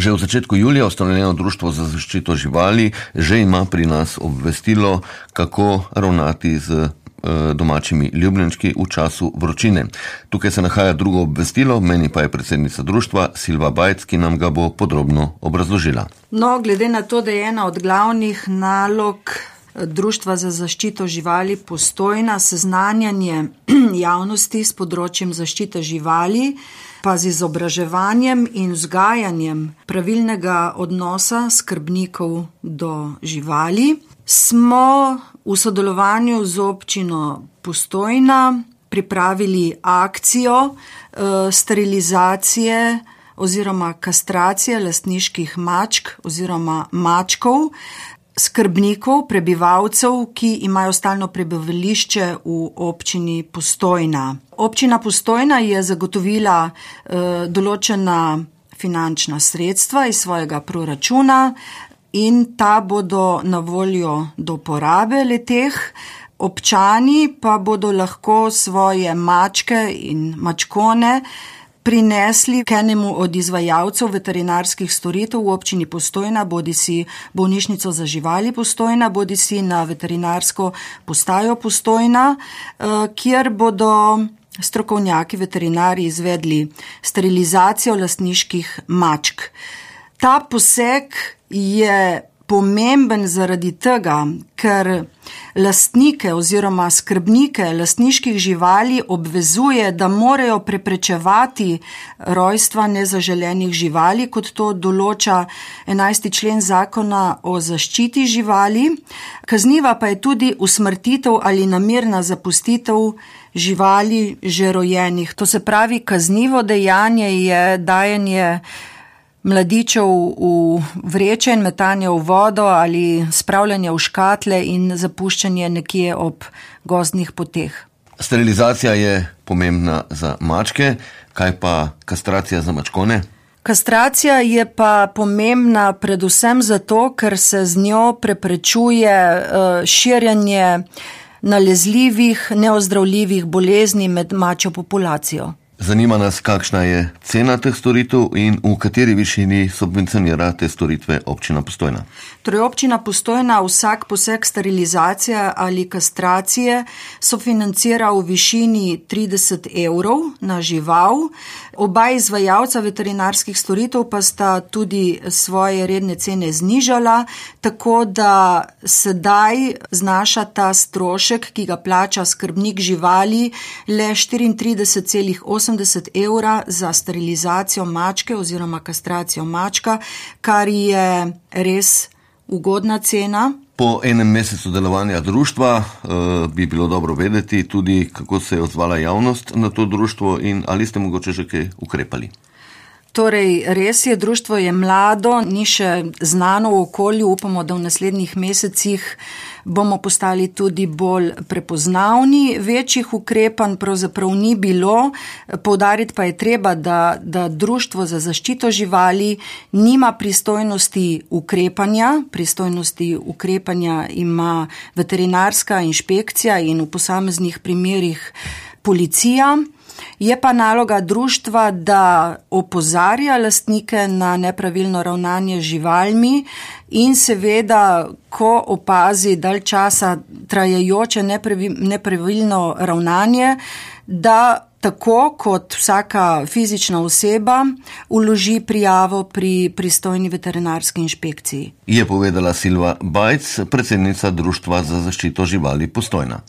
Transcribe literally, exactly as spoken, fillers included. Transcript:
Že v začetku julija ustanovljeno Društvo za zaščito živali že ima pri nas obvestilo, kako ravnati z domačimi ljubljenčki v času vročine. Tukaj se nahaja drugo obvestilo, meni pa je predsednica društva Silva Bajc, ki nam ga bo podrobno obrazložila. No, glede na to, da je ena od glavnih nalog Društva za zaščito živali Postojna seznanjanje javnosti s področjem zaščite živali, pa z izobraževanjem in vzgajanjem pravilnega odnosa skrbnikov do živali, smo v sodelovanju z občino Postojna pripravili akcijo e, sterilizacije oziroma kastracije lastniških mačk oziroma mačkov, skrbnikov, prebivalcev, ki imajo stalno prebivališče v občini Postojna. Občina Postojna je zagotovila e, določena finančna sredstva iz svojega proračuna in ta bodo na voljo do porabe leteh. Občani pa bodo lahko svoje mačke in mačkone prinesli k enemu od izvajalcev veterinarskih storitev v občini Postojna, bodisi bolnišnico za živali Postojna, bodisi na veterinarsko postajo Postojna, kjer bodo strokovnjaki veterinari izvedli sterilizacijo lastniških mačk. Ta poseg je pomemben zaradi tega, ker lastnike oziroma skrbnike lastniških živali obvezuje, da morajo preprečevati rojstva nezaželenih živali, kot to določa enajsti člen Zakona o zaščiti živali. Kazniva pa je tudi usmrtitev ali namerna zapustitev živali že rojenih. To se pravi, kaznivo dejanje je dajanje mladičev v vreče in metanje v vodo ali spravljanje v škatle in zapuščanje nekje ob gozdnih poteh. Sterilizacija je pomembna za mačke, kaj pa kastracija za mačkone? Kastracija je pa pomembna predvsem zato, ker se z njo preprečuje širjenje nalezljivih, neozdravljivih bolezni med mačjo populacijo. Zanima nas, kakšna je cena teh storitev in v kateri višini subvencionira te storitve občina Postojna. Torej, občina Postojna vsak poseg sterilizacije ali kastracije sofinancira v višini trideset evrov na žival. Oba izvajalca veterinarskih storitev pa sta tudi svoje redne cene znižala, tako da sedaj znaša ta strošek, ki ga plača skrbnik živali, le štiriintrideset celih osemdeset evra za sterilizacijo mačke oziroma kastracijo mačka, kar je res ugodna cena. Po enem mesecu delovanja društva eh, bi bilo dobro vedeti tudi, kako se je odzvala javnost na to društvo in ali ste mogoče že kaj ukrepali. Torej, res je, društvo je mlado, ni še znano v okolju, upamo, da v naslednjih mesecih bomo postali tudi bolj prepoznavni. Večjih ukrepanj pravzaprav ni bilo, poudariti pa je treba, da, da Društvo za zaščito živali nima pristojnosti ukrepanja. Pristojnosti ukrepanja ima veterinarska inšpekcija in v posameznih primerih policija. Je pa naloga društva, da opozarja lastnike na nepravilno ravnanje z živalmi in seveda, ko opazi dalj časa trajajoče nepravilno ravnanje, da tako kot vsaka fizična oseba vloži prijavo pri pristojni veterinarski inšpekciji. Je povedala Silva Bajc, predsednica Društva za zaščito živali Postojna.